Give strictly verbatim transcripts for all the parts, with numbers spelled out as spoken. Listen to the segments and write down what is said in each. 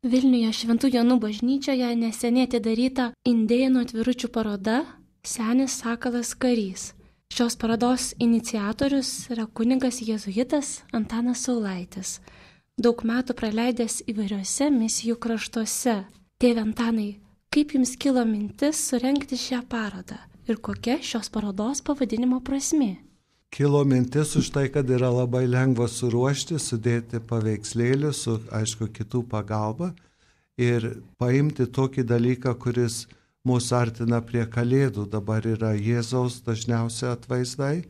Vilniuje Šventų Jonų bažnyčioje neseniai atidaryta indėnų atviručių paroda Senis Sakalas karys. Šios parodos iniciatorius yra kunigas jėzuitas Antanas Saulaitis, daug metų praleidęs įvairiose misijų kraštuose. Tėve Antanai, kaip jums kilo mintis surengti šią parodą ir kokia šios parodos pavadinimo prasmė? Kilo mintis už tai, kad yra labai lengva suruošti, sudėti paveikslėlį su, aišku, kitų pagalba ir paimti tokį dalyką, kuris mūsų artina prie Kalėdų. Dabar yra Jėzaus dažniausiai atvaizdai,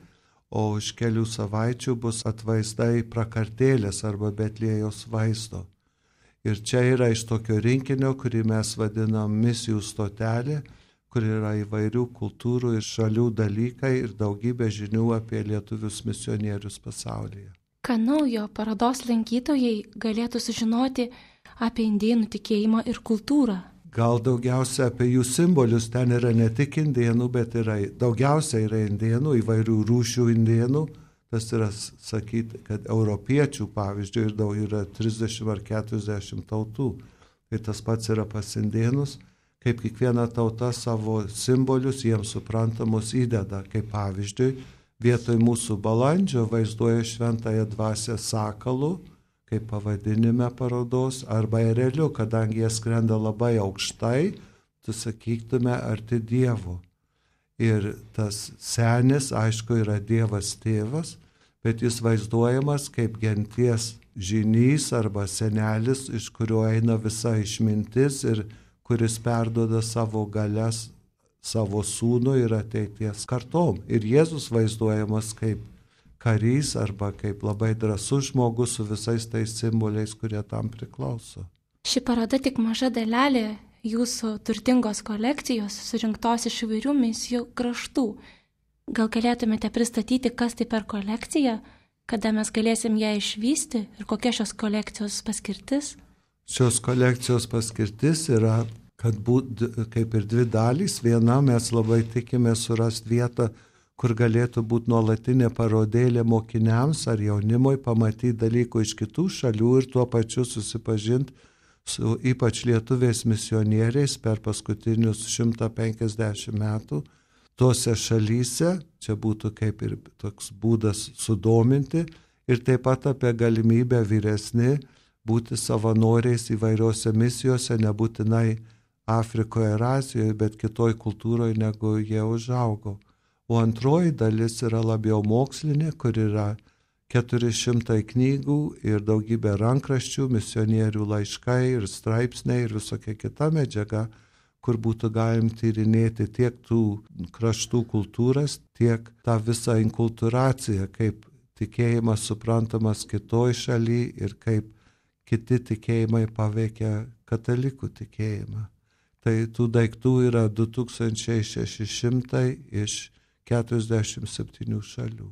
o už kelių savaičių bus atvaizdai prakartėlės arba Betliejaus vaizdo. Ir čia yra iš tokio rinkinio, kurį mes vadinam misijų stotelė, kur yra įvairių kultūrų ir šalių dalykai ir daugybė žinių apie lietuvius misionierius pasaulyje. Ką naujo parodos lankytojai galėtų sužinoti apie indėnų tikėjimą ir kultūrą? Gal daugiausia apie jų simbolius, ten yra ne tik indėnų, bet yra, daugiausia yra indėnų, įvairių rūšių indėnų. Tas yra sakyti, kad europiečių, pavyzdžiui, ir daug yra trisdešimt ar keturiasdešimt tautų. Tai tas pats yra pas indėnus. Kaip kiekviena tauta savo simbolius jiems suprantamus įdeda. Kaip pavyzdžiui, vietoj mūsų balandžio vaizduoja šventąją dvasią sakalu, kaip pavadinime parodos, arba ereliu, kadangi jie skrenda labai aukštai, tu sakytume, arti Dievo. Ir tas senis, aišku, yra Dievas tėvas, bet jis vaizduojamas kaip genties žynys arba senelis, iš kurio eina visa išmintis ir kuris perduoda savo galias savo sūnui ir ateities kartom. Ir Jėzus vaizduojamas kaip karys arba kaip labai drąsus žmogus su visais tais simboliais, kurie tam priklauso. Ši paroda tik maža dalelė jūsų turtingos kolekcijos surinktos iš įvairių misijų kraštų. Gal galėtumėte pristatyti, kas tai per kolekcija, kada mes galėsim ją išvysti ir kokia šios kolekcijos paskirtis? Šios kolekcijos paskirtis yra, kad būt kaip ir dvi dalys. Viena, mes labai tikime surasti vietą, kur galėtų būti nuolatinė parodėlė mokiniams ar jaunimui, pamatyti dalykų iš kitų šalių ir tuo pačiu susipažinti su ypač lietuviais misionieriais per paskutinius šimtą penkiasdešimt metų. Tose šalyse, čia būtų kaip ir toks būdas sudominti ir taip pat apie galimybę vyresni būti savanoriais įvairiose misijose, nebūtinai Afrikoje ir Azijoje, bet kitoj kultūroje, negu jie užaugo. O antroji dalis yra labiau mokslinė, kur yra keturi šimtai knygų ir daugybė rankraščių, misionierių laiškai ir straipsniai ir visokia kita medžiaga, kur būtų galim tyrinėti tiek tų kraštų kultūras, tiek tą visą inkultūraciją, kaip tikėjimas suprantamas kitoj šaly ir kaip kiti tikėjimai paveikia katalikų tikėjimą. Tai tų daiktų yra du tūkstančiai šeši šimtai iš keturiasdešimt septynių šalių.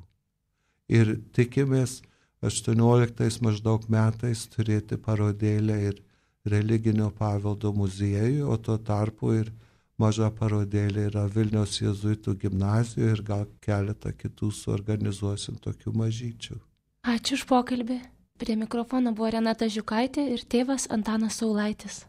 Ir tikimės aštuonioliktais maždaug metais turėti parodėlę ir religinio paveldo muziejų, o tuo tarpu ir maža parodėlė yra Vilniaus jėzuitų gimnazijoje ir gal keletą kitų suorganizuosim tokių mažyčių. Ačiū už pokalbį. Prie mikrofono buvo Renata Žiukaitė ir tėvas Antanas Saulaitis.